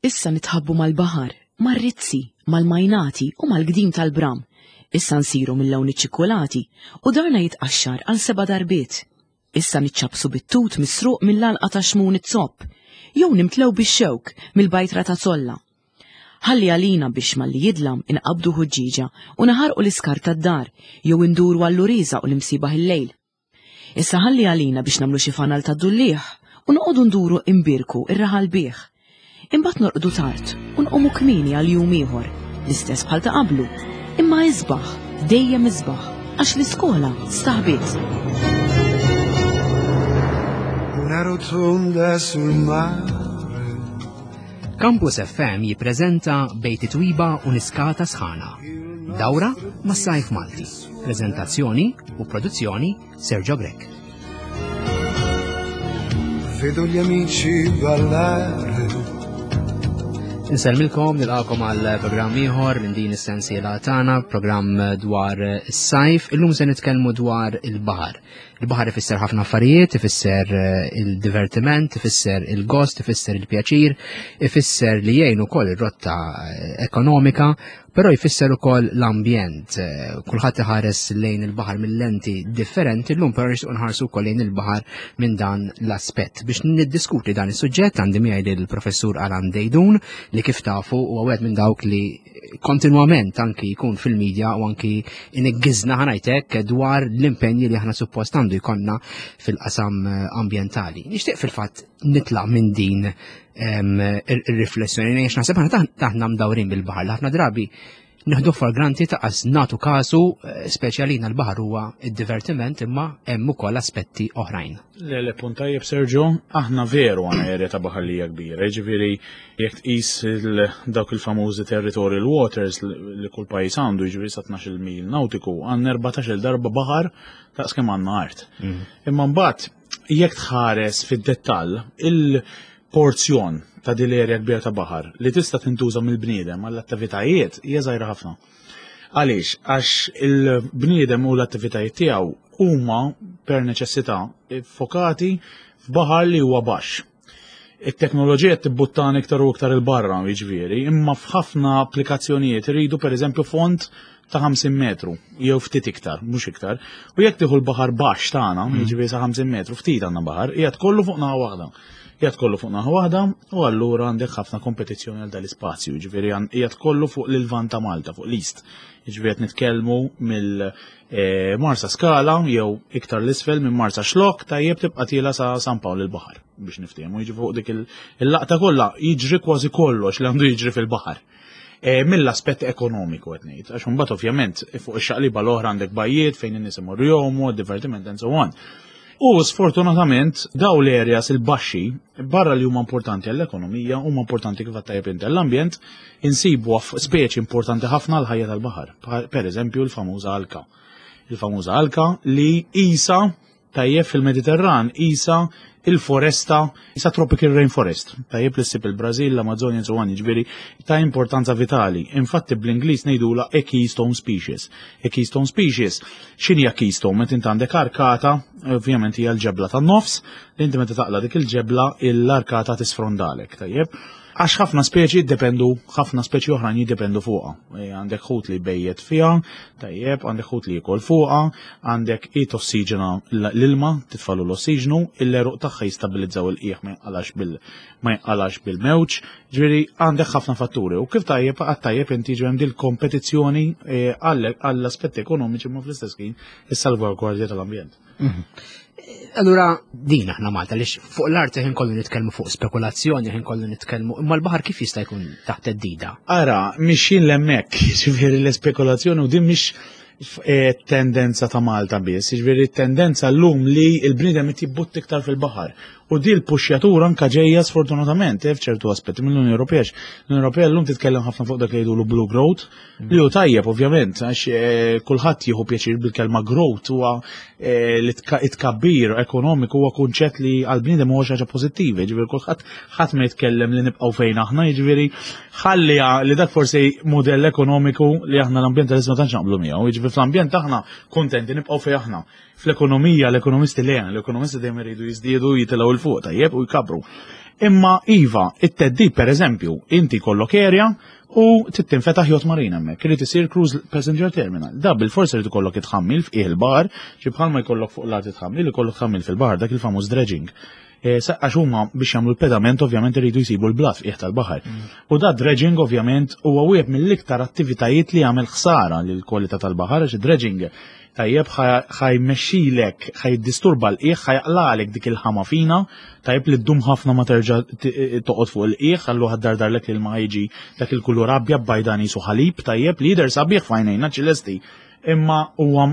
Issa nitħabbu mal-baħar, mar-rizzi, mal-majnati u mal-gdim tal-bram. Issa nsiru mill-lawn iċ-ċikkulati u darna jitqaxxar għal seba' darbiet. Issa niċċappsu bit-tut misruq mill-għalqa ta' Xmun iz-Zopp, jew nimtlew bix-xewk mill-bajtra ta' Zolla. Ħalli għalina biex malli jidlam inqabbdu ħuġġieġa u naħarqu l-iskart tad-dar jew induru għall-uriża u l-imsiebaħ il-lejl. Issa ħalli għalina biex nagħmlu xi fanal tad-dulliegħ u noqogħdu nduru imbierku r-raħal bih. Imbagħad norqdu tard u nqumu kmieni għal jum ieħor, l-istess bħal ta' qablu, imma isbaħ, dejjem isbaħ, għax l-iskola staħbiet. Una rotonda sul mare. Campus FM jippreżenta Bejt Twiba u Niskata Sħana. Dawra mas-sajf Malti. Prezentazzjoni u produzzjoni Sergio Grech. Vedo gli amici ballare. Insellmilkom nilqakom għal programm ieħor minn din is-sensiela tagħna, programm dwar is-sajf. Illum se nitkellmu dwar il-baħar. Il-baħar ifisser ħafna affarijiet, ifisser eh, il-divertiment, ifisser il-gost, ifisser il-pjaċir, ifisser li jgħin ukoll ir-rotta eh, ekonomika, Però jfisser ukoll l-ambjent. Eh, kulħadd iħares lejn il-baħar mill-lenti differenti, llum però nixtieq nħarsu wkoll lejn il-baħar minn dan l-aspett. Biex niddiskuti dan is-suġġett għandi miegħi lill-professur Alan Dejdun li kif tafu huwa wieħed minn dawk li kontinwament anki jkun fil-medja u anki iniggizna ħanajtek dwar l-impenji li aħna suppost għandu jkollna fil-qasam eh, ambjentali. Nixtieq fil-fatt nitlaq minn din ir-riflessjoni għax naħseb aħna taħna mdawrin bil-baħar ħafna drabi nieħdu for granti taqas natu kasu eh, speċjalina l-baħar huwa id-divertiment imma hemm ukoll aspetti oħrajn. Le le punt tajjeb Sergio, aħna veru għandna erja ta' baħar li hija kbira, jiġifieri jekk tqis dawk il-famużi territorial waters li kull pajjiż għandu, jiġifieri sa 12 mil nautiku, għandna 14-il darba baħar daqs kemm għandna art. Mm. Imma mbagħad jekk tħares fid-dettall, il-porzjon ta' din l-erja kbira ta' baħar li tista' tintuża mill-bniedem għall-attivitajiet hija żgħira ħafna. Għaliex? Għax il-bniedem u l-attivitajiet tiegħu huma per neċessità fokati f'baħar li huwa baxx. It-teknoloġija tibbuttana iktar u iktar il-barra, jiġifieri, imma f'ħafna applikazzjonijiet iridu pereżempju fond ta' 50 metru, jew ftit iktar, mhux iktar. U jekk tieħu l-baħar baxx tagħna, mm. jiġifieri sa 50 metru, ftit għandna baħar, qiegħed kollu fuq naħa waħda. Qiegħed kollu fuq naħa waħda u allura għandek ħafna kompetizzjoni għal dal-ispazju, jiġifieri qiegħed kollu fuq l-Lvant ta' Malta, fuq l-East. Jiġifieri qed nitkellmu mill eh, Marsa Skala jew iktar l-isfel minn Marsa Xlok tajjeb tibqa' tiela sa San Pawl il-Baħar biex niftehmu jiġi fuq dik il-laqta kollha jiġri kważi kollox li għandu jiġri fil-baħar. E, mill-aspett ekonomiku qed ngħid, għax imbagħad ovvjament fuq ix-xaqliba l-oħra għandek bajjiet fejn in-nies imorru jgħumu, divertiment and so on. U sfortunatament daw l-areas il-baxxi barra li huma importanti għall-ekonomija huma importanti kif tajjeb inti għall-ambjent, insibu speċi importanti ħafna l-ħajja tal-baħar. Per eżempju l-famuża alka. Il-famuża alka li isa Tajjeb fil-Mediterran qisha il-foresta, qisha tropical rainforest. Tajjeb li ssib il-Brażil, l-Amazzonja and so on, jiġifieri ta' importanza vitali. Infatti bl-Ingliż ngħidulha a keystone species. A keystone species, x'inhi a keystone? Meta int għandek arkata, ovvjament hija l-ġebla tan-nofs, li inti meta taqla' dik il-ġebla l-arkata tisfrondalek, tajjeb? Għax ħafna speċi jiddependu, ħafna speċi oħrajn jiddependu fuqha. E, għandek ħut li bejjet fiha, tajjeb, għandek ħut li jikol fuqha, għandek i tossiġena l-ilma, titfalu l-ossiġnu, il-eruq tagħha jistabilizzaw il-qiegħ ma jinqalax bil ma jinqalax bil-mewġ, ġifieri għandek ħafna fatturi. U kif tajjeb għad tajjeb inti ġew hemm kompetizzjoni e, għall-aspetti ekonomiċi ma fl-istess ħin is-salvagwardja tal-ambjent. Mhm. Allura din aħna Malta li fuq l-art ħin kollu nitkellmu fuq spekulazzjoni, ħin kollu nitkellmu, imma l-baħar kif jista' jkun taħt id-dida? Ara, mixin l-hemmhekk, ġifieri l-espekulazzjoni u din mhix eh, tendenza ta' Malta biss, ġifieri tendenza llum li l-bniedem qed jibbutt iktar fil-baħar. U di l-puxjatura anka ġejja sfortunatament eh, f'ċertu aspetti mill-Unjoni Ewropea. L-Unjoni Ewropea llum titkellem ħafna fuq dak li jgħidulu blue growth, Li hu tajjeb ovvjament, għax eh, kulħadd jieħu pjaċir bil-kelma growth huwa eh, li tkabbir ekonomiku huwa kunċett li għall-bniedem huwa xi ħaġa pożittiva, jiġifieri kulħadd ħadd ma jitkellem li nibqgħu fejn aħna, jiġifieri ħalli li dak forsi mudell ekonomiku li aħna l-ambjentalisti ma tantx naqblu miegħu, jiġifieri fl-ambjent aħna kuntenti nibqgħu fejn aħna. Fl-ekonomija l-ekonomisti le, l-ekonomisti dejjem iridu jiżdiedu jitilgħu 'l fuq tajjeb u jkabru. Imma iva, it-theddid pereżempju, inti jkollok area u trid tinfetaħ yacht marina hemmhekk, irid isir cruise passenger terminal. Da bil-fors irid ikollok itħammil f'qiegħ il-baħar, ġi bħalma jkollok fuq l-art itħammil, ikollok tħammil fil-baħar, dak il-famuż dredging. E, għax huma biex jagħmlu l-pedament ovvjament iridu jsibu l-blat f'qiegħ tal-baħar. U da dredging ovvjament huwa wieħed mill-iktar attivitajiet li jagħmel ħsara lill-kwalità tal-baħar għax id-dredging tajjeb ħa jmexxilek, ħa jiddisturba l-qiegħ, ħa jaqlagħlek dik il-ħama fina, tajjeb li ddum ħafna ma terġa' toqgħod fuq il-qiegħ, allura ħa ddardarlek l-ilma jiġi dak il-kulur abjad bajdan qisu ħalib, tajjeb li jidher sabiħ f'għajnejna ċilesti, imma huwa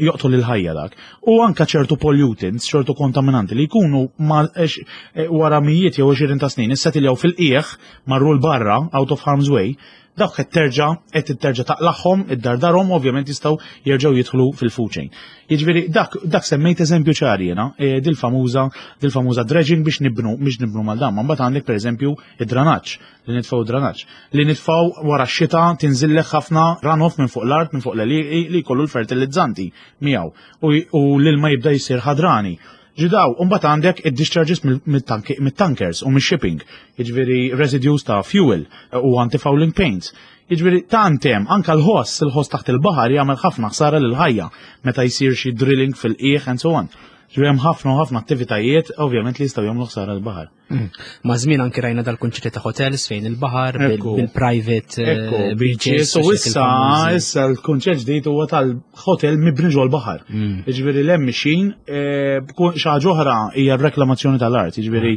joqtol il-ħajja dak. U anka ċertu pollutants, ċertu kontaminanti li jkunu wara mijiet jew 20 ta' snin issetiljaw fil-qiegħ marru l-barra out of harm's way, dawk qed terġa' qed terġa' taqlagħhom, iddardarhom, ovvjament jistgħu jerġgħu jidħlu fil-food chain. Jiġifieri dak dak semmejt eżempju ċar jiena, dil-famuża dil-famuża dredging biex nibnu mal dan. Mbagħad għandek pereżempju id-dranaġġ, li nitfgħu dranaġġ. Li nitfgħu wara x-xita tinżillek ħafna runoff minn fuq l-art, minn fuq l-għelieqi li jkollu l-fertilizzanti miegħu u l-ilma jibda jsir ħadrani. Ġidaw, mbagħad għandek id-discharges mit-tankers u mix-shipping, jiġifieri residues ta' fuel u anti-fouling paints. Jiġifieri tant hemm anke l-ħoss, il-ħoss taħt il-baħar jagħmel ħafna ħsara lil ħajja meta jsir xi drilling fil-qiegħ and so on. Ġifieri hemm ħafna u ħafna attivitajiet ovvjament li jistgħu jagħmlu ħsara l-baħar. Ma' żmien anki rajna dal-kunċetti ta' hotels fejn il-baħar bil-private beaches. U issa issa l-kunċett ġdid huwa tal-hotel mibni ġol baħar. Jiġifieri l mixin xi ħaġa oħra hija r-reklamazzjoni tal-art, jiġifieri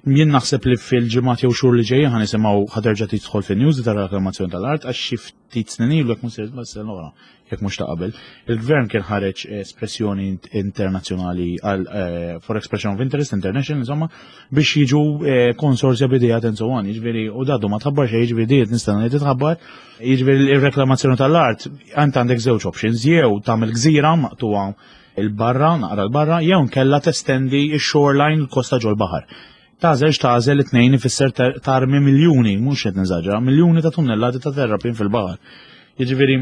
jien naħseb li fil-ġimgħat jew xhur li ġejjin ħa nisimgħu ħa terġa' tidħol fin-news tar-reklamazzjoni tal-art għax xi ftit snin ilu, jekk mhux sena l-oħra, jekk mhux ta' qabel, il-gvern kien ħareġ espressjoni internazzjonali għal for expression of interest international, insomma, biex jiġu konsorzja b'idejat and so on, jiġifieri u dadu ma tħabbar xejn, jiġifieri diet nistenna li titħabbar, jiġifieri il-reklamazzjoni tal-art, ant għandek żewġ options, jew tagħmel gżira maqtuha il-barra, naqra l-barra, jew nkella testendi x-shoreline l-kosta ġol-baħar. Tagħżel x'tagħżel it-tnejn ifisser tarmi miljuni, mhux qed niżaġra, miljuni ta' tunnellati ta' terrapin fil-baħar. Jiġifieri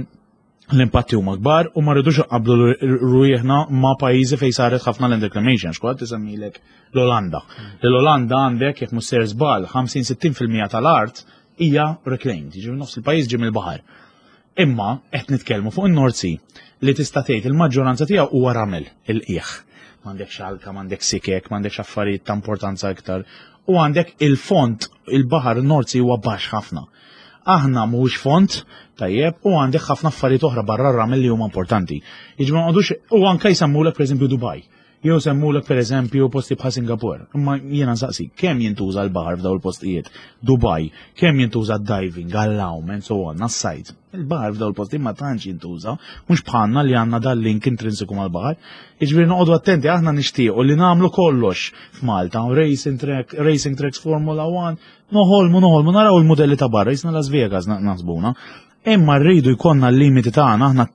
l-impatti huma kbar u ma rridux qablu rwieħna ma' pajjiżi fejn saret ħafna land reclamation, x'kwatt tisemmilek l-Olanda. L-Olanda għandek jekk mhux ser żball 50-60% tal-art hija reclaimed, jiġifieri nofs il-pajjiż ġie mill-baħar. Imma qed nitkellmu fuq in-North Sea li tista' tgħid il-maġġoranza tiegħu huwa ramel il-qiegħ. M'għandekx alka, m'għandek sikek, m'għandekx affarijiet ta' importanza iktar. U għandek il-font, il-baħar North Sea huwa baxx ħafna. Aħna mhuwiex font, tajjeb, u għandek ħafna affarijiet oħra barra r-ramel li huma importanti. Jiġifieri ma nqogħdux u anke jsemmulek pereżempju Dubai. Jew semmulek pereżempju posti bħal Singapore. Imma jiena nsaqsi, kemm jintuża l-baħar f'daw il-postijiet? Dubai, kemm jintuża diving, għall-għawm, and so on, għas-sajd. Il-baħar f'daw il-postijiet ma tantx jintuża, mhux bħalna li għandna dal-link intrinsiku mal-baħar. Jiġifieri noqogħdu attenti, aħna nixtiequ li nagħmlu kollox f'Malta, racing track, racing tracks Formula 1, noħolmu, noħolmu, naraw il-modelli ta' barra, jisna Las Vegas naħsbuna. Imma rridu jkollna l-limiti tagħna, aħna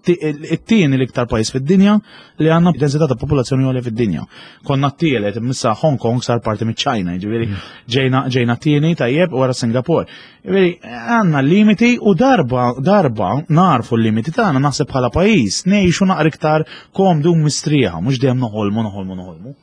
it-tieni l-iktar pajjiż fid-dinja li għandna densità ta' popolazzjoni għolja fid-dinja. Konna t-tielet, issa Hong Kong sar parti miċ-Ċina, jiġifieri ġejna t-tieni tajjeb wara Singapore. Jiġifieri għandna l-limiti u darba darba narfu l-limiti tagħna naħseb bħala pajjiż ngħixu naqra iktar komdu u mistrieħa, mhux dejjem noħolmu noħolmu noħolmu.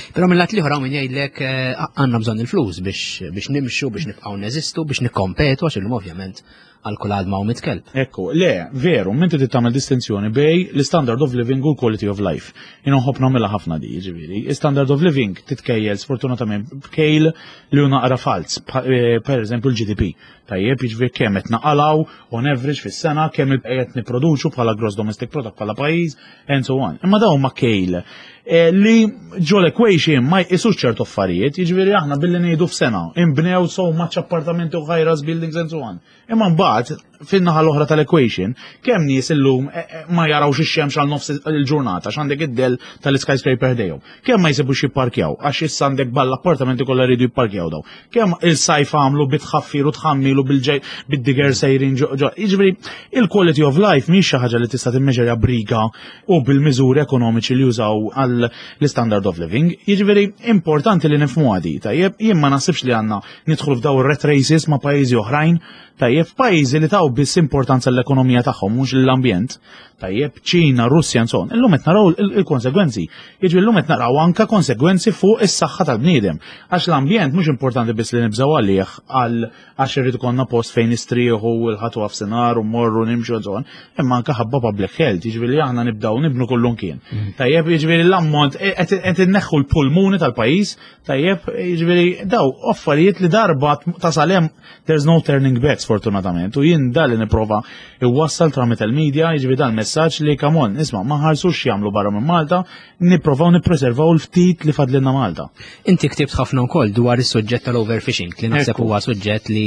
Però mill-lat l-ieħor hawn min jgħidlek għandna bżonn il-flus biex nimxu, biex nibqgħu neżistu, biex nikkompetu għax illum ovvjament għal kull għadma u mitkelb. Ekku, le, veru, minti trid tagħmel distinzjoni bej l-standard of living u l-quality of life. Jien nħobb nagħmilha ħafna di, jiġifieri. Standard of living titkejjel sfortunatament b'kejl li hu naqra falz, per eżempju l-GDP. Tajjeb, jiġifieri kemm qed naqalgħu on average fis-sena, kemm qed nipproduċu bħala gross domestic product bħala pajjiż, and so on. Imma dawn ma kejl li ġol equation ma jqisux ċertu affarijiet, jiġifieri aħna billi ngħidu f'sena imbnew so much appartamenti u high-rise buildings and so on. Imma mbagħad fin-naħa l-oħra tal-equation, kemm nies illum ma jarawx ix-xemx għal nofs il-ġurnata għax għandek id-del tal-skyscraper ħdejhom. Kemm ma jsibux jipparkjaw għax issa għandek ball appartamenti kollha jridu jipparkjaw daw. Kemm il-sajf għamlu bitħaffir u tħammilu bil-ġej bid-digger sejrin ġo. Jiġifieri il-quality of life mhix xi ħaġa li tista' timmeġerja briga u bil-miżuri ekonomiċi li jużaw għal l-standard of living. Jiġifieri importanti li nifhmu għadi, tajjeb, jien ma naħsibx li għandna nidħlu f'daw rat races ma' pajjiżi oħrajn, tajjeb, pajjiżi li taw taw biss importanza l-ekonomija tagħhom mhux l-ambjent. Tajjeb, Ċina, Russja, and so on. Illum qed naraw il-konsegwenzi. Jiġri llum qed naraw anka konsegwenzi fuq is-saħħa tal-bniedem. Għax l-ambjent mhux importanti biss li nibżgħu għalih għal għax irrid ikollna post fejn nistrieħu u l-ħatu għafsinar u morru nimxu and so on, imma anka ħabba public health, jiġifieri aħna nibdaw nibnu kullum kien. Tajjeb, jiġifieri l-ammont e, qed inneħħu l-pulmuni tal-pajjiż, tajjeb, jiġifieri daw affarijiet li darba tasal hemm there's no turning back sfortunatament. U jien dal li nipprova iwassal tramite l-media, jiġifieri dan messaġġ li come on, isma' ma ħarsux jagħmlu barra minn Malta, nipprovaw nippreservaw l-ftit li fadlilna Malta. Inti ktibt ħafna wkoll dwar is-suġġett tal-overfishing li naħseb huwa suġġett li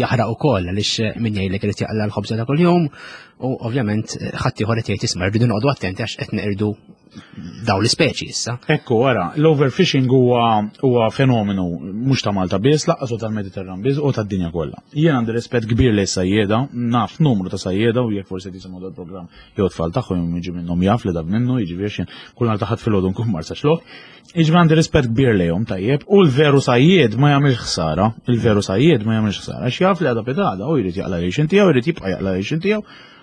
jaħraq ukoll għaliex min jgħidlek irid jaqla l-ħobża ta' kuljum u ovvjament ħadd ieħor qed jgħid isma' rridu noqogħdu attenti għax qed neqirdu daw l-ispeċi issa. Ekku, ara, l-overfishing huwa huwa fenomenu mhux ta' Malta biss, laqqas u tal-Mediterran biss u tad-dinja kollha. Jien għandi rispett kbir lejn sajjieda, naf numru ta' sajjieda u jekk forsi tisimgħu dal-programm jew tfal tagħhom jew jiġi minnhom jaf li dak minnu, jiġifieri xejn kull nhar ta' ħadd filgħodu nkun Marsaxlokk. Jiġifieri għandi rispett kbir lejhom tajjeb u l-veru sajjied ma jagħmilx ħsara, il-veru sajjied ma jagħmilx ħsara, għax jaf li għada pitgħada u jrid jaqla' l-għixien tiegħu, jrid jibqa' jaqla' l-għixien tiegħu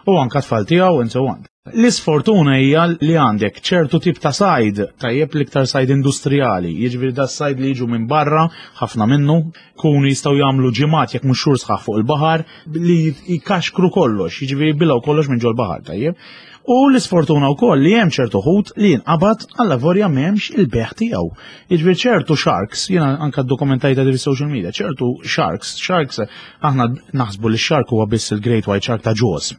u anka tfal tiegħu and so on. L-isfortuna hija li għandek ċertu tip ta' sajd, tajjeb l-iktar sajd industrijali, jiġifieri da sajd li jiġu minn barra, ħafna minnu, kunu jistgħu jagħmlu ġimgħat jekk mhux xhur sħaħ fuq il-baħar li jkaxkru kollox, jiġifieri jibilgħu kollox minn ġol-baħar, tajjeb. U l-isfortuna wkoll li hemm ċertu ħut li jinqabad alla vorja m'hemmx il-beħ tiegħu. Jiġifieri ċertu sharks, jiena anka ddokumentajta di fis-social media, ċertu sharks, sharks aħna naħsbu li shark huwa biss il-great white shark ta' Jaws.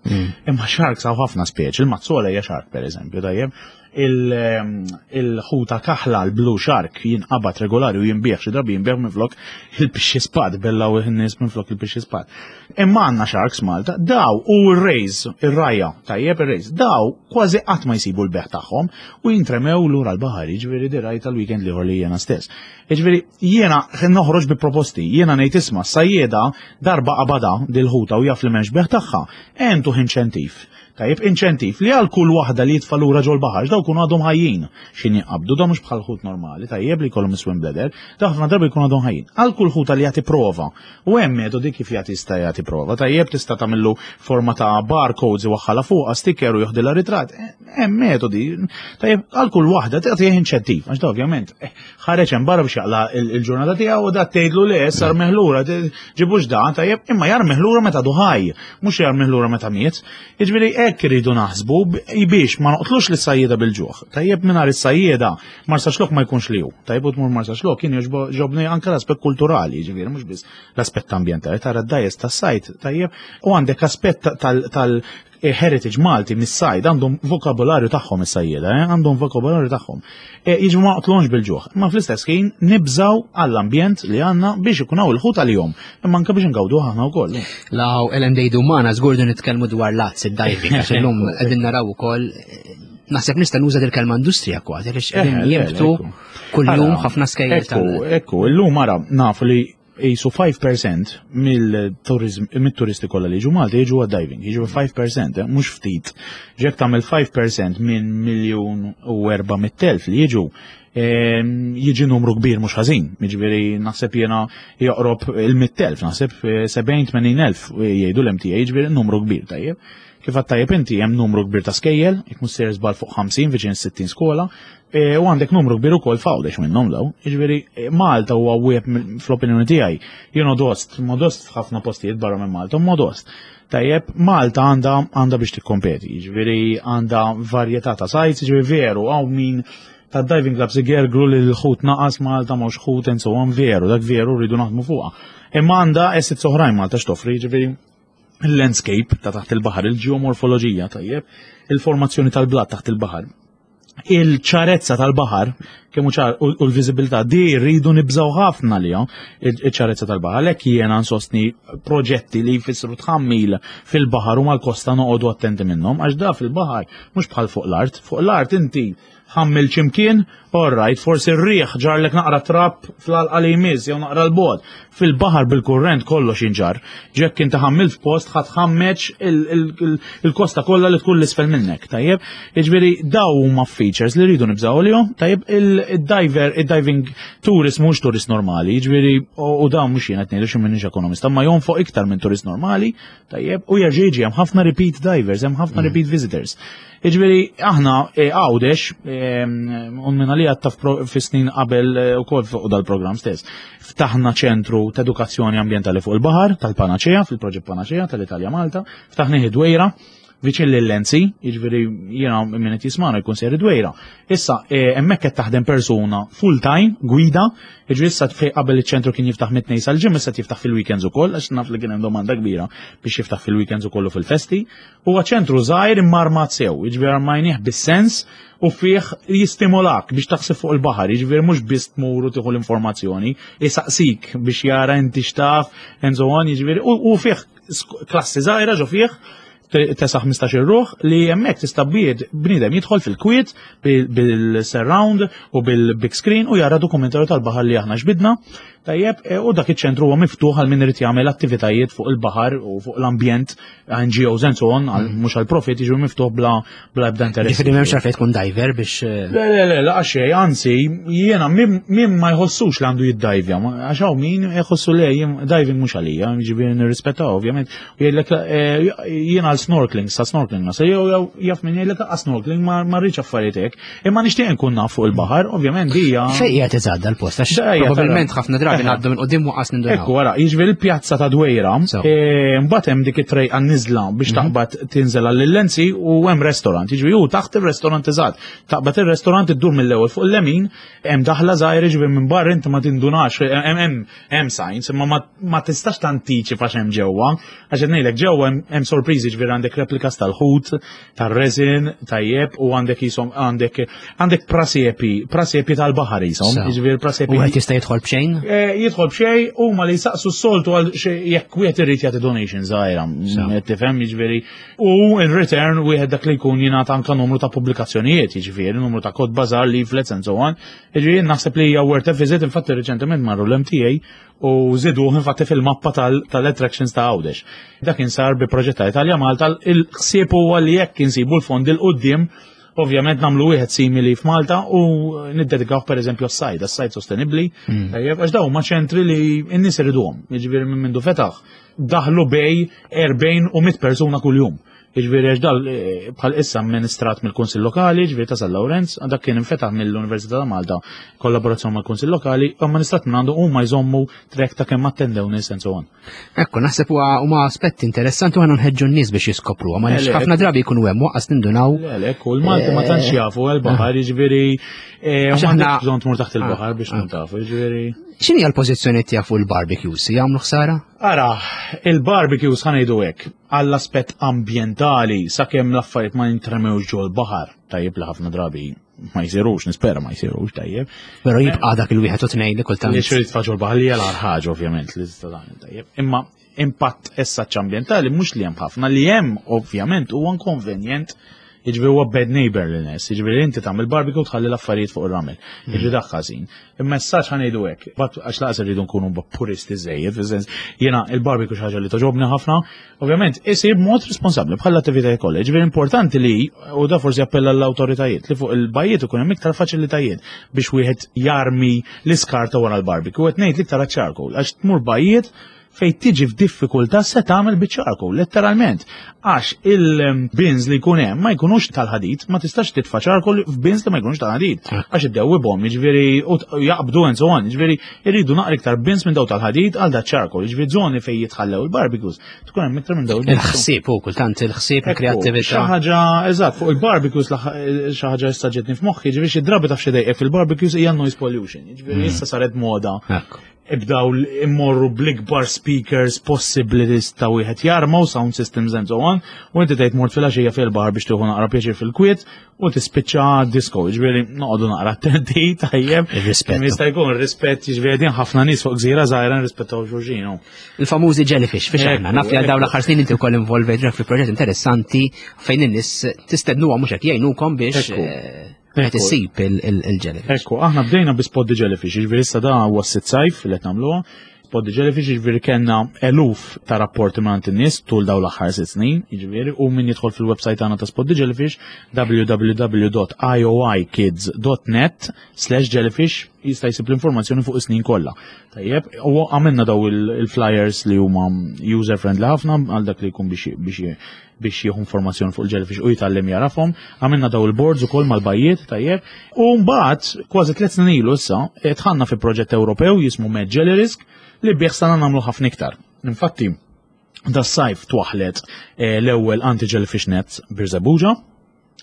Imma sharks hawn ħafna speċi, il-mazzola hija shark pereżempju, tajjeb. Il-ħuta kaħla l-blue shark jinqabad regolari u jinbieħ xi drabi jinbieħ minflok il-pixxi spad, bellaw in-nies minflok il-pixxi spad. Imma għandna sharks Malta, daw u r-rays, ir-rajja, tajjeb ir-rays, daw kważi qatt ma jsibu l-beħ tagħhom u jintremew lura l-baħar, jiġifieri di rajta l-weekend l-ieħor li jiena stess. Jiġifieri jiena noħroġ bi proposti, jiena ngħid isma' sajjieda darba qabada dil-ħuta u jaf li m'hemmx beħ tagħha, entuh inċentiv. Tajjeb, inċentiv li għal kull waħda li jitfa' lura ġol-baħar, daw kunu għadhom ħajjin x'in jinqabdu, daw mhux bħal ħut normali, tajjeb li jkollhom swim bladder, daw ħafna drabi jkunu għadhom ħajjin. Għal kull ħuta li jagħti prova, u hemm metodi kif jagħti jista' jagħti prova, tajjeb tista' tagħmillu forma ta' barcodes iwaħħalha fuqha sticker u joħdilha ritratt, hemm metodi, tajjeb għal kull waħda tagħtih inċentiv, għax da ovvjament eh, ħareġ hemm barra biex jaqla il-ġurnata tiegħu u da tgħidlu le sar meħlura, ġibux da, tajjeb, imma jarmih lura meta duħaj, mhux jarmih lura meta miet. Jiġifieri hekk iridu naħsbu biex ma noqtlux lis sajjieda bil-ġuħ. Tajjeb mingħajr is-sajjieda Marsaxlokk ma jkunx li hu. Tajjeb u tmur Marsaxlokk kien jogħġobni anke l-aspett kulturali, jiġifieri mhux biss l-aspett ambjentali, tara d-dgħajjes tas-sajd, tajjeb, u għandek aspett tal heritage Malti mis-sajd għandhom vokabolarju tagħhom is-sajjieda, eh? għandhom vokabolarju tagħhom. E, jiġu ma qtlonx bil-ġuħ, imma fl-istess ħin nibżaw għall-ambjent li għandna biex ikun hawn il-ħut għalihom, imma anke biex ngawdu aħna wkoll. Law Ellen Dejdu magħna żgur din nitkellmu dwar l-azz id-diving, għax illum qegħdin naraw ukoll naħseb nista' nuża dil-kelma industrija kważi għaliex qegħdin eh, jibtu kuljum ħafna skejjel. Ekku, ekku, illum ara nafu li jisu 5% mill-turisti kollha li jiġu Malta jiġu għad-diving, jiġu 5%, eh, mhux ftit. Ġek tagħmel 5% minn miljun u 400,000 li jiġu, ehm, jiġi numru kbir mhux ħażin. Jiġifieri naħseb jiena joqrob il-100,000, naħseb 70-80,000 eh, jgħidu l-MTA, jiġifieri numru kbir tajjeb. Kif għat tajjeb inti hemm numru kbir ta' skejjel, jekk mhux sejjer żball fuq 50 viċin 60 skola, e, u għandek numru kbir ukoll f'Għawdex minnhom daw. Jiġifieri e, Malta huwa wieħed fl-opinjoni tiegħi. Jien modost, modost f'ħafna postijiet barra minn Malta, modost. Tajjeb, Malta għandha għandha biex tikkompeti, jiġifieri għandha varjetà ta' sites, jiġifieri veru hawn min ta' diving clubs igergru li l-ħut naqas Malta mhux ħut and so on veru, dak veru rridu naħdmu fuqha. Imma għandha assets oħrajn Malta x'toffri, jiġifieri il-landscape ta' taħt il-baħar, il-ġeomorfoloġija tajjeb, il-formazzjoni tal-blat taħt il-baħar, il-ċarezza tal-baħar, kemm ċar u l-viżibilità di rridu nibżgħu ħafna li iċ-ċarezza tal-baħar. Għalhekk jiena nsostni proġetti li jfissru tħammil fil-baħar u mal-kosta noqogħdu attenti minnhom għax da fil-baħar mhux bħal fuq l-art. Fuq l-art inti Ħammilt x'imkien, all right, forsi r-riħ ġarlek naqra trab fl-għalqa li jmiss jew naqra l-bogħod. Fil-baħar bil-kurrent kollox jinġarr. Jekk inti ħammilt f'post ħa tħammeġ il-kosta kollha li tkun l-isfel minnek, tajjeb? Jiġifieri daw huma features li rridu nibżgħu għalihom, tajjeb? Il-diver, il-diving tourist mhux turist normali, jiġifieri u dawn mhux jien qed ngħidu xi m'iniex ekonomista, ma jonfoq iktar minn turist normali, tajjeb, u jerġa' jiġi hemm ħafna repeat divers, hemm ħafna repeat visitors. Jiġifieri aħna eh, Għawdex, eh, un minna li għatta fi snin qabel eh, ukoll fuq dal-programm stess, ftaħna ċentru ta' edukazzjoni ambjentali fuq il-baħar tal-Panaċea, fil-proġett Panaċea tal-Italja Malta, ftaħni Dwejra, viċin lil-Lenzi, jiġifieri jiena min qed jismana jkun ser Dwejra. Issa hemmhekk qed taħdem persuna full time gwida, jiġifieri issa fejn qabel iċ-ċentru kien jiftaħ mit-tnejn sal-ġimgħa issa jiftaħ fil-weekends ukoll għax naf li kien hemm domanda kbira biex jiftaħ fil-weekends ukoll u fil-festi. Huwa ċentru żgħir imma armat sew, jiġifieri armajnih bis-sens u fih jistimolak biex taħseb fuq il-baħar, jiġifieri mhux biss tmur u tieħu l-informazzjoni, isaqsik biex jara inti x'taf and so on, jiġifieri u fih klassi żgħira ġo fih tesa' 15 ruħ li hemmhekk tista' bied bniedem jidħol fil-kwiet bil-surround u bil-big screen u jara dokumentarju tal-baħar li aħna xbidna. Tajjeb, e, u dak iċ-ċentru huwa miftuħ għal min irid jagħmel attivitajiet fuq il-baħar u fuq l-ambjent, NGOs and so on, mm. mhux għal profit jiġu miftuħ bla bla ebda interess. Ġifieri m'hemmx għalfejn tkun diver biex. Eh, le, le, le, la xejn, anzi, jiena min ma jħossux li għandu jiddajvja, għax hawn min jħossu le diving mhux għalija, ġifieri nirrispettaw ovvjament, u jgħidlek eh, jiena għal snorkeling, sa snorkeling ma se jew jaf min jgħidlek għal snorkeling ma rridx affarijiet hekk. Imma nixtieq nkun naf fuq il-baħar, ovvjament hija. Fejn qiegħed iżgħadda l-post għax probabbilment ħafna drabi ngħaddu minn qudiem waqas nindunaw. Ekku wara, jiġifieri l-pjazza ta' Dwejra, e, mbagħad hemm dik it-trejqa niżla biex mhm. taqbad tinżel għall-lenzi u hemm restaurant, jiġifieri hu taħt ir-restaurant eżatt. Taqbad ir-restaurant iddur mill-ewwel fuq il-lemin, hemm daħla żgħir jiġifieri minn barra inti ma tindunax, hemm hemm signs, imma ma tistax tantiċipa x'hemm ġewwa, għax qed ngħidlek ġewwa hemm sorpriżi ġifieri għandek replikas tal-ħut, tar-resin, tajjeb, u għandek jisom għandek għandek prasepi, prasepi tal-baħar jisom, jiġifieri prasepi. U qed jista' jidħol b'xejn? Eh, jidħol b'xejn huma li jsaqsu s-soltu għal jekk wieħed irid jagħti donation żgħira, tifhem jiġifieri. U in return wieħed dak li jkun jingħata anke numru ta' pubblikazzjonijiet, jiġifieri numru ta' kotba żgħar, leaflets and so on. Jiġifieri naħseb li hija worth a visit, infatti reċentement marru l-MTA u żiduh infatti fil-mappa tal-attractions ta' Għawdex. Dak insar bi proġett ta' Italja Malta, il-ħsieb huwa li jekk insibu l-fondi 'l quddiem ovvjament nagħmlu wieħed simili f'Malta u niddedikaw pereżempju għas-sajd, għas-sajd sostenibbli, mm. tajjeb, għax dawn huma ċentri li n-nies iriduhom, jiġifieri minn mindu fetaħ daħlu bej 40 u 100 persuna kuljum. Jiġifieri għax dal eh, bħal issa amministrat mill-Kunsill Lokali, jiġifieri ta' San Lawrenz, dak kien infetaħ mill-Università ta' Malta kollaborazzjoni mal-Kunsill Lokali, amministrat minn għandu huma jżommu trek ta' kemm attendew nies and so on. Ekku, naħseb huwa huma aspetti interessanti u għandna nħeġġu n-nies biex jiskopru, ma nix ħafna drabi jkunu hemm waqqas nindunaw. Le, le, ekku, l-Malti ma tantx eh, jafu għal-baħar, jiġifieri eh, għax aħna bżonn tmur taħt il-baħar ah, biex tkun ah. tafu, jiġifieri. X'inhi l-pożizzjoni tiegħek fuq il-barbecues? Jagħmlu ħsara? Ara, il-barbecues ħa ngħidu hekk, għall-aspett ambjentali sakemm l-affarijiet ma jintremewx ġol-baħar, tajjeb li ħafna drabi ma jsirux, nispera ma jsirux, tajjeb. Però jibqa' dak il-wieħed u tnejn li kultant. Li xrid tfa' ġol-baħar li hija ħaġa ovvjament li tista' tagħmel tajjeb. Imma impatt essaċ ambjentali mhux li hemm ħafna, li hemm ovvjament huwa inkonvenjent Jiġifieri huwa bad neighbor li nes, jiġifieri inti tagħmel barbecue tħalli l-affarijiet fuq ir-ramel. Mm. Jiġifieri dak ħażin. Il-messaġġ ħa ngħidu hekk, għax laqas irridu nkunu puristi żejjed, fis-sens jiena il-barbecue xi ħaġa li toġobni ħafna, ovvjament isir b'mod responsabbli bħal attivitajiet kollha. Jiġifieri importanti li u da forsi appella l-awtoritajiet li fuq il-bajjiet ikun hemm iktar faċilitajiet biex wieħed jarmi l-iskarta wara l-barbecue. Qed ngħid l-iktar għaċ-charcoal għax tmur bajjiet fejn tiġi f'diffikultà se tagħmel biċ-charcoal, letteralment. Għax il-bins li jkun hemm ma jkunux tal-ħadid, ma tistax titfa' charcoal f'bins li ma jkunux tal-ħadid. Għax iddewwibhom, jiġifieri jaqbdu and so on, jiġifieri irridu naqra iktar bins minn daw tal-ħadid għal da charcoal, jiġifieri żoni fejn jitħallew il-barbecues, tkun hemm iktar minn daw. Il-ħsieb hu kultant il-ħsieb, il-kreattività. Xi ħaġa eżatt fuq il-barbecues xi ħaġa issa ġietni f'moħħi, jiġifieri xi drabi taf xi dejqek fil-barbecues hija noise pollution, jiġifieri mm. issa saret moda. Ibdaw immorru bl-ikbar speakers possibbli li tista' wieħed jarma u sound systems and so on, u inti tgħid mort fil-għaxija fil-baħar biex tieħu naqra pjaċir fil-kwiet u tispiċċa disco, jiġifieri noqogħdu naqra attenti tajjeb. Ir-rispett. Jista' jkun ir-rispett jiġifieri din ħafna nies fuq gżira żgħira nrispettaw xulxin. Il-famużi jellyfish, fiex aħna, naf li għal dawn l-aħħar snin inti wkoll involvejt fi proġett interessanti fejn in-nies tistednuhom mhux hekk jgħinukom biex. Eh, Qed issib il-jellyfish. Ekku, aħna bdejna bi spot the jellyfish, jiġifieri issa da huwa s-sitt sajf li qed nagħmluha. Spot the jellyfish jiġifieri kellna eluf ta' rapporti minn in-nies tul dawn l-aħħar sitt snin, jiġifieri u min jidħol fil-website tagħna ta' Spot the Jellyfish www.ioikids.net/jellyfish jista' jsib l-informazzjoni fuq is-snin kollha. Tajjeb, u għamilna daw il-flyers li huma user friendly ħafna għal dak li jkun biex biex jieħu informazzjoni fuq il-jellyfish u jitgħallem jarafhom. Għamilna daw il-boards ukoll mal-bajjiet, tajjeb. U mbagħad kważi tliet snin ilu issa dħalna fi proġett Ewropew jismu Med Jelly Risk li bih sana nagħmlu ħafna iktar. Infatti, das-sajf twaħlet eh, l-ewwel anti-jellyfish nets Birżebbuġa,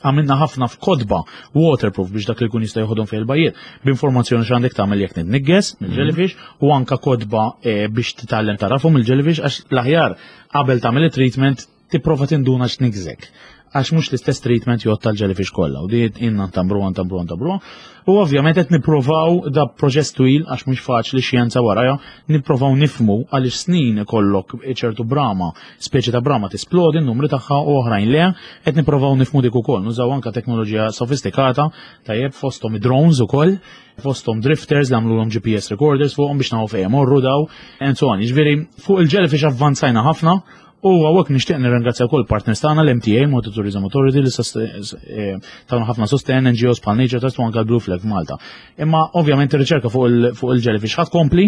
għamilna ħafna f'kotba waterproof biex dak li jkun jista' joħodhom fejn il-bajjiet b'informazzjoni x'għandek tagħmel jekk nitnigges mill-jellyfish u anka kotba eh, biex titgħallem tarafhom il-jellyfish għax l-aħjar qabel tagħmel it-treatment tipprova tinduna x'nigżek għax mhux l-istess treatment jgħod tal-jellyfish kollha u di inna ntamru ntamru ntamru. U ovvjament qed nippruvaw da proċess twil għax mhux faċli xjenza warajha, nippruvaw nifmu għaliex snin ikollok ċertu brama, speċi ta' brama tisplodi n-numri tagħha u oħrajn le, qed nippruvaw nifmu dik ukoll, nużaw anka teknoloġija sofistikata, tajjeb fosthom drones ukoll, fosthom drifters li għamlulhom GPS recorders fuqhom biex nafu fejn morru daw, and so on. Jiġifieri fuq il-jellyfish avvanzajna ħafna u hawnhekk nixtieq nirringrazzja wkoll partners tagħna l-MTA, Malta Tourism Authority, li eh, tawna ħafna sosten, NGOs bħal Nature Trust u anke l-Blue Flag Malta. Imma ovvjament ir-riċerka fuq il-jellyfish ħadd kompli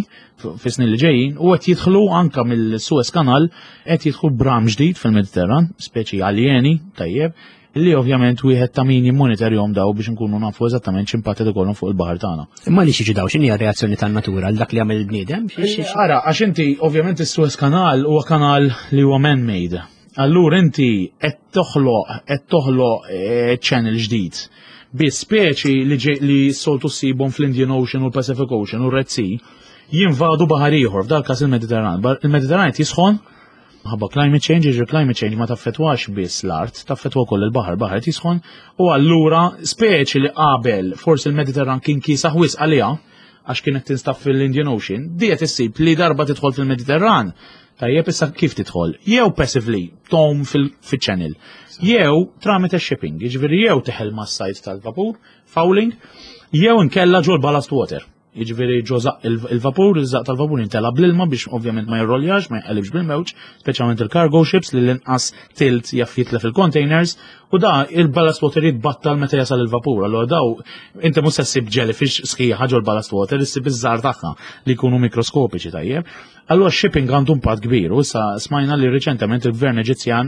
fis-snin li ġejjin u qed jidħlu anka mill-Suez Canal qed jidħlu bram ġdid fil-Mediterran, speċi aljeni, tajjeb, li ovvjament wieħed ta' min jimmonitorjhom daw biex nkunu nafu eżattament x'impatt qed ikollhom fuq il-baħar tagħna. Imma li xiġi daw x'inhi reazzjoni tan-natura għal dak li għamel il-bniedem? Ara, għax inti ovvjament is-Suez Kanal huwa kanal li huwa man-made. Allura inti qed toħloq qed toħloq eh, channel ġdid bi speċi li, li soltu ssibhom fl-Indian Ocean u l-Pacific Ocean u r-Red Sea jinvadu baħar ieħor f'dal każ il-Mediterran. Il-Mediterran qed jisħon Ħabba climate change, jiġri climate change ma taffetwax biss l-art, taffetwa wkoll il-baħar, baħar qed jisħon, u allura speċi li qabel forsi l-Mediterran kien kiesaħ wisq għaliha għax kienet tinstab fil-Indian Ocean, di qed issib li darba tidħol fil-Mediterran. Tajjeb issa kif tidħol? Jew passively tom fil-channel, jew tramite shipping, jiġifieri jew teħel mas-sajt tal-vapur, fouling, jew inkella ġol ballast water. Jiġifieri ġo żaqq il-vapur, iż-żaqq tal-vapur jintela bl-ilma biex ovvjament ma jirroljax, ma jqellibx bil-mewġ, speċjalment il-cargo ships li l-inqas tilt jaf jitlef il-containers, u da il-ballast water jitbattal meta jasal il-vapur. Allora daw inti mhux se ssib jellyfish sħiħa ġol ballast water, issib iż-żgħar tagħha li jkunu mikroskopiċi tajjeb. Allura shipping għandu impatt kbir u issa smajna li riċentement il-gvern Eġizzjan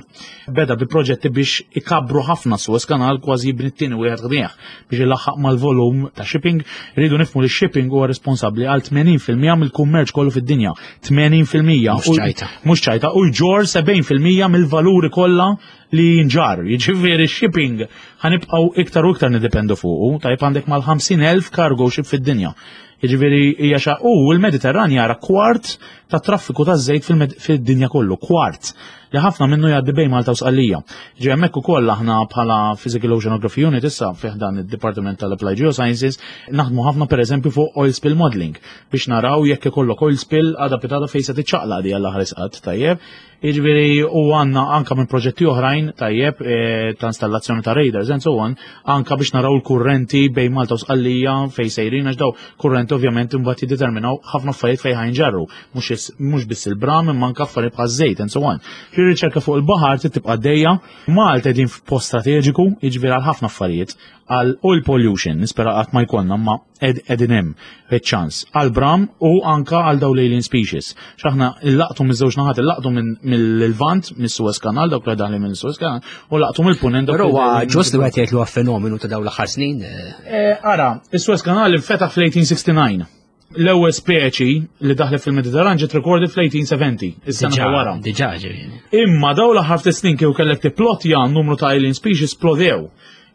beda bi proġetti biex ikabbru ħafna Suez Canal kważi jibni t-tieni wieħed ħdejh biex ilaħħaq mal-volum ta' shipping. Rridu nifhmu li shipping huwa responsabbli għal 80% mill-kummerċ kollu fid-dinja. 80%. Mhux ċajta. Mhux ċajta u jġor 70% mill-valuri kollha li jinġarr. Jiġifieri shipping ħanibqgħu iktar u iktar nidependu fuqu. Tajb għandek mal-50,000 cargo ship fid-dinja. Jiġifieri hija xa u l-Mediterran jara kwart ta' traffiku ta' żejt fid-dinja kollu, kwart li ħafna minnu jgħaddi bejn Malta u Sqallija. Ġi hemmhekk ukoll aħna bħala Physical Oceanography Unit issa fih dan id-Dipartiment tal-Applied Geosciences naħdmu ħafna pereżempju fuq oil spill modeling biex naraw jekk ikollok oil spill għada pitada fejn se tiċċaqlaq di għall aħħar isqat tajjeb. Jiġifieri u għandna anka minn proġetti oħrajn tajjeb eh, ta' installazzjoni ta' radars and so on, anka biex naraw l-kurrenti bejn Malta u Sqallija fejn sejrin għax daw kurrenti ovvjament imbagħad jiddeterminaw ħafna affarijiet fejn ħajnġarru, mhux biss il-bram imma anka affarijiet bħal żejt and so on. Ir-riċerka fuq il-baħar trid tibqa' dejja, Malta qegħdin f'post strateġiku, jiġifieri għal ħafna affarijiet, għal oil pollution, nispera qatt ma jkollna ma qegħdin hemm iċ-ċans għal bram u anka għal dawn l-alien species. X'aħna illaqtu miż-żewġ naħat, illaqtu mill-Lvant, mis-Suez Canal, dawk li daħli mill-Suez Canal, u laqtu mill-Punent. Però huwa ġust li wieħed jgħid li huwa fenomenu ta' dawn l-aħħar snin. Eh. Eh, ara, is-Suez Canal infetaħ fl-1869. L-ewwel speċi li daħlet fil-Mediterran ġiet recorded fl-1870, is-sena wara. Diġà ġifieri. Imma dawn l-aħħar ftit snin kieku kellek tipplotja numru ta' alien species splodew.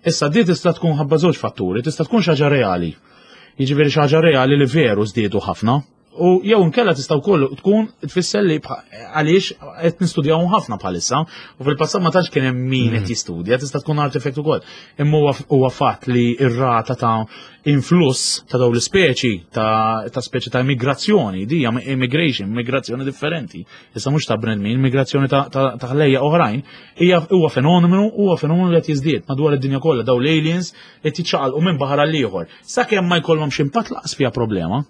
Issa di tista' tkun ħabba żewġ fatturi, tista' tkun xi ħaġa reali. Jiġifieri xi ħaġa reali li veru żdiedu ħafna. U jew inkella tista' wkoll tkun tfisser li għaliex qed nistudjawhom ħafna bħalissa u fil-passat ma tantx kien hemm min qed jistudja, tista' tkun artifact ukoll. Imma huwa fatt li r-rata ta' influss ta' dawn l-ispeċi ta' speċi ta' immigrazzjoni, di hija immigration, immigrazzjoni differenti. Issa mhux ta' bnedmin, immigrazzjoni ta' ħlejja oħrajn, hija huwa fenomenu, huwa fenomenu li qed jiżdied madwar id-dinja kollha dawn l-aliens qed jiċċaqalqu minn baħar għal ieħor. Sakemm ma jkollhomx impatt laqas fiha problema.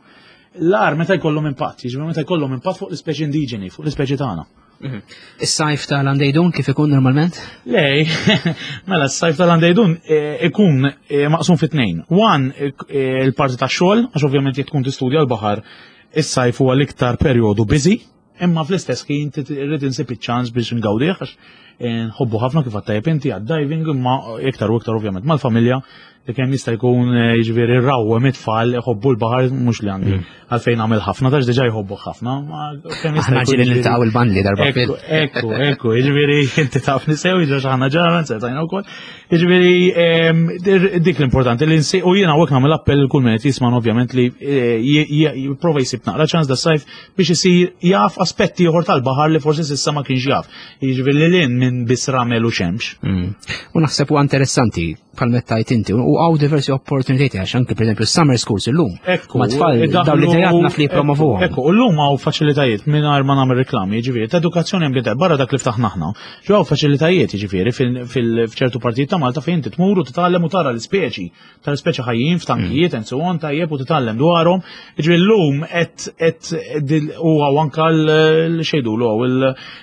L-ar meta jkollhom impatt, jiġifieri meta jkollhom impatt fuq l-ispeċi indiġeni, fuq l-ispeċi tagħna. Is-sajf tal-Andejdun kif ikun normalment? Lej, mela s-sajf tal-Andejdun eh, ikun eh, maqsum fit tnejn. One, eh, il-parti ta' xogħol, għax ovvjament jekk tkun tistudja l-baħar, is-sajf huwa l-iktar perjodu busy, imma fl-istess ħin irrid insib iċ-ċans biex ngawdih għax nħobbu ħafna kif għattajb inti għad-diving imma iktar u iktar ovvjament mal-familja li kemm jista' jkun eh, jiġifieri rawwem it-tfal iħobbu l-baħar mhux li għandi mm. għalfejn nagħmel ħafna tax diġà jħobbu ħafna. Kemm jista' jkun. Ġieli niltaqgħu il-bandli darba fil. Ekku, ekku, jiġifieri inti taf nisew, jiġifieri aħna ġara nsertajna wkoll. Jiġifieri ehm, dik l-importanti li nsi u jiena hawnhekk nagħmel appell kull min qed jisma' ovvjament li eh, jipprova jsib naqra ċans da sajf biex isir jaf aspetti ieħor tal-baħar li forsi s'issa ma kienx jaf. Jiġifieri li lin minn biss ramel u xemx. Mm. U naħseb huwa interessanti bħal mettajt inti u għaw diversi opportunitajiet għax anke pereżempju summer schools illum. Ekku, ma tfal dawn l-idejat naf li jippromovuhom. Ekku, u llum hawn faċilitajiet mingħajr ma nagħmel reklami, jiġifieri ta' edukazzjoni ambjentali barra dak li ftaħna aħna. Ġew faċilitajiet jiġifieri f'ċertu partijiet ta' Malta fejn inti tmur u titgħallem u tara l-ispeċi, tal-ispeċi ħajjin f'tankijiet and so on tajjeb u titgħallem dwarhom. Jiġifieri llum qed huwa anke l-xejdulu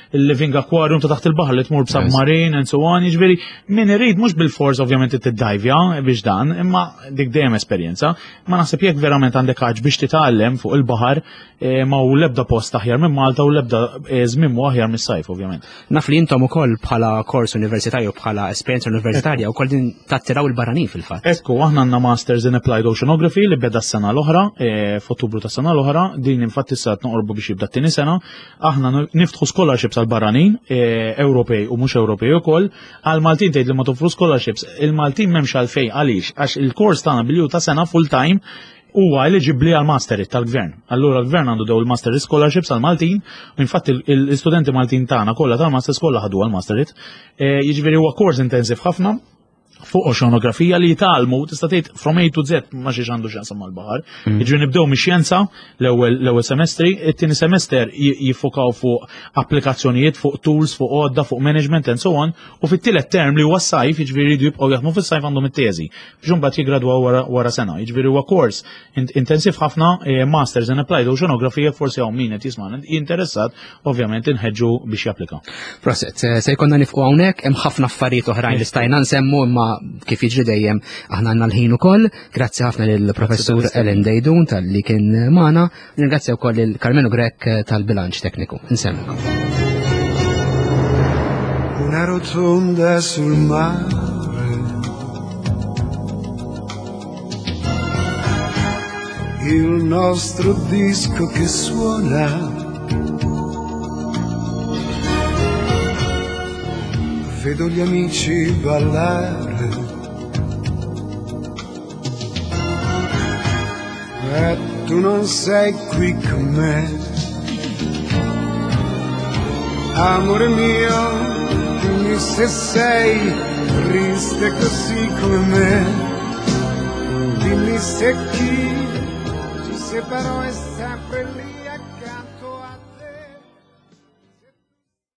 il-living aquarium ta' taħt il-baħar li tmur b'submarine and so on, jiġifieri min irid mhux bil-fors ovvjament tiddajvja biex dan, imma dik dejjem esperjenza, ma naħseb jekk verament għandek ħaġ biex titgħallem fuq il-baħar eh, ma hu l-ebda post aħjar minn Malta u l-ebda eh, żmien mu aħjar mis-sajf ovvjament. Naf li intom ukoll bħala kors universitarju bħala esperjenza universitarja wkoll din tattiraw il-barranin fil-fatt. Ekku, aħna għandna Masters in Applied Oceanography li beda s-sena l-oħra, eh, f'Ottubru tas sena l-oħra, din infatti issa noqorbu biex jibda t-tieni sena, Aħna niftħu scholarships għal barranin, e, Ewropej u mhux Ewropej ukoll, għal Maltin tgħid li ma toffru scholarships, il-Maltin m'hemmx għalfejn għaliex għax il-kors tagħna bilju ta' sena full time huwa eligibbli għal master tal-gvern. Allura l-gvern għandu dew il-master scholarships għal Maltin, u infatti l-istudenti Maltin tagħna kollha tal-master kollha ħadu għal master. E, jiġifieri huwa kors intensiv ħafna, fuq oxonografija li jitalmu, tista' tgħid from A to Z ma xiex għandu x'jaqsam mal-baħar. Jiġifieri nibdew mix-xjenza l-ewwel semestri, it-tieni semester jiffokaw fuq applikazzjonijiet, fuq tools, fuq għodda, fuq management and so on, u fit-tielet term li huwa s-sajf, jiġifieri jridu jibqgħu jaħdmu fis-sajf għandhom it-teżi. Biex imbagħad jiggradwaw wara sena. Jiġifieri huwa kors intensiv ħafna, eh, Masters in Applied Oceanography, jekk forsi hawn min qed jisma' interessat, ovvjament inħeġġu biex japplika. Proset, eh, se jkollna nifqu hawnhekk hemm ħafna affarijiet oħrajn li stajna nsemmu imma kif jiġri dejjem aħna għandna l-ħin ukoll. Grazzi ħafna lill-Professur Ellen Dejdun tal-li kien magħna, ringrazzja wkoll lil Carmenu Grech eh, tal-bilanċ tekniku. Insemmilkom. Una rotonda sul mare Il nostro disco che suona Vedo gli amici ballare E tu non sei qui con me Amore mio, dimmi se sei triste così come me Dimmi se chi ci separò è sempre lì.